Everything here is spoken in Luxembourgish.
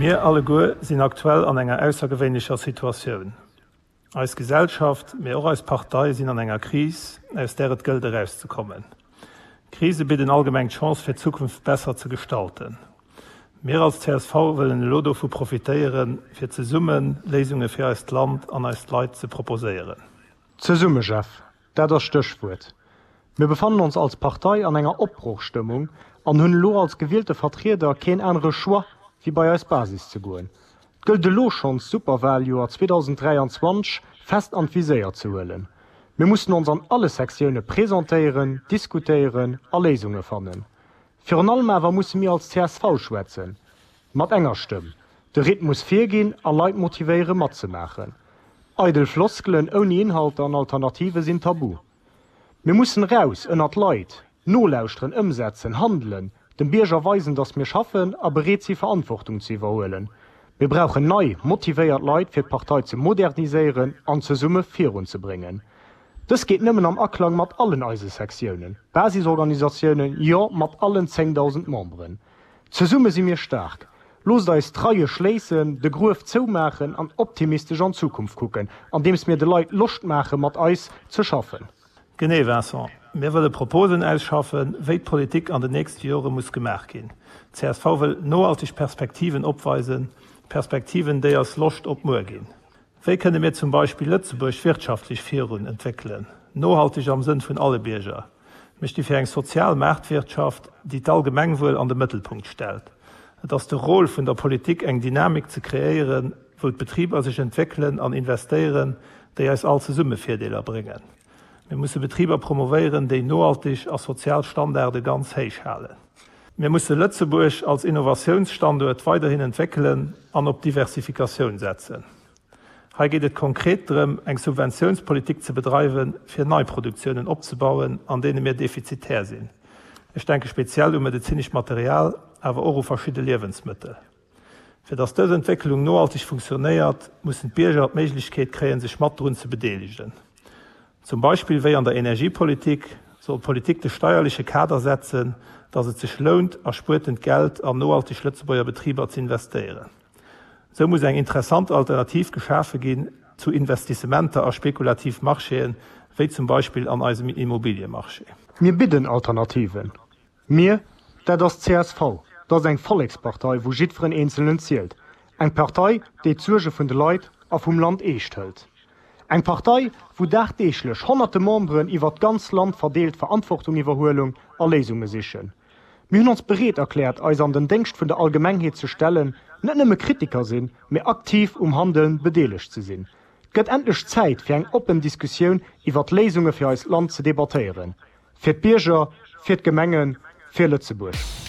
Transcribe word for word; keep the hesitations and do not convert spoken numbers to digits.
Mir alleguer sinn aktuell an enger aussergewéinlecher Situatioun. Eis Gesellschaft, mee och eis Partei sinn an enger Kris, aus där et gëllt erauszekommen. Krise bidden allgemeng d'Chance fir d'Zukunft besser ze gestalten. Mir als csv wëllen elo dovu profitéieren, fir zesumme Léisunge fir eist Land an eis Leit ze proposéieren. Zesumme, Jeff, dat ass d'Stéchwuert. Mir befannen ons als Partei an enger Opbrochstëmmung an hunn elo als gewielte Vertrieder keen anere Choix, wéi bei eis Basis ze goen. Et gëllt elo schonns d'Superwaljoer zweedausenddräianzwanzeg fest an d'Viséier ze huelen. Mir mussen ons an alle Sektioune presentéieren, diskutéieren a Léisunge fannen. Virun allem awer musse mir als csv schwätzen, mat enger Stëmm, de Rhythmus virginn a Leit motivéiere matzemaachen. Eidel Floskelen ouni Inhalter an Alternative sinn tabu. Mir mussen raus ënnert d'Leit, nolauschteren, ëmsetzen, handelen, dem Bierger weisen, dass mir schaffen a bereet si Verantwortung ze iwwerhuelen. Mir brauchen nei, motivéiert Leit fir d'Partei ze moderniséieren an zesumme virunzebréngen. Dës geet nëmmen am Aklang mat allen eise Sektiounen, Basisorganisatiounen, jo mat allen zéngdausend Memberen. Zesumme si mir staark. Loosst eis d'Reie schléissen, de Gruef zoumaachen an optimistesch an d'Zukunft kucken, andeems mir de Leit Loscht maache mat eis ze schaffen. Genee, Vincent. Mir wëlle Proposen ausschaffen, wéi d'Politik an den nächste Jore muss gemaach ginn. Csv wëll nohalteg Perspektiven opweisen, Perspektiven, déi eis Loscht op muer ginn. Wéi kënne mir zum Beispill Lëtzebuerg wirtschaftlech virun entwéckelen, nohalteg am Sënn vun alle Bierger? Mir sti fir eng sozial Maartwirtschaft, déi d'Allgemengwuel an de Mëttelpunkt stellt. Et ass de Rôle vun der Politik eng Dynamik ze kreéieren, wou d'Betriber sech entwéckelen an investéieren, déi eis all zesumme Virdeeler bréngen. Mir musse Betriber promovéieren, déi nohalteg a sozial Standarde ganz héich halen. Mir musse Lëtzebuerg als Innovatiounsstanduert weiderhin entwéckelen an op Diversifikatioun setzen. Hei geet et konkret drëm, eng Subventiounspolitik ze bedreiwen, fir nei Produktiounen opzebauen, an deene mir defizitär sinn. Ech denke speziell u medezinescht Material, awer och u verschidde Liewensmëttel. Fir datt dës Entwécklung nohalteg funktionéiert, mussen d'Bierger d'Méiglechkeet kréien, sech mat drun ze bedeelegen. Zum Beispill wéi an der Energiepolitik soll d'Politik de steierleche Kader setzen, datt et sech lount, erspuertent Geld an nohalteg Lëtzebuerger Betriber z'investéieren. Sou muss eng interessant Alternativ geschafe ginn zu Investissementer a spekulativ Marchéen, wéi zum Beispill an eisem Immobiliemarché. Mir bidden Alternativen. Mir, dat ass csv. Dat ass eng Vollekspartei, wou jiddferen Eenzelnen zielt. Eng Partei, déi d'Suerge vun de Leit a vum Land eescht hëlt. Eng Partei, wou dagdeeglech honnerte Memberen iwwert d'ganz Land verdeelt Verantwortung iwwerhuelen a Léisunge sichen. Mir hunn ons bereet erkläert, eis an den Déngscht vun der Allgemengheet ze stellen, net nëmme Kritiker sinn, mee aktiv um Handeln bedeelegt ze sinn. Et gëtt endlech Zäit fir eng oppen Diskussioun iwwert Léisunge fir eist Land ze debattéieren. Fir d'Bierger, fir d'Gemengen, fir Lëtzebuerg.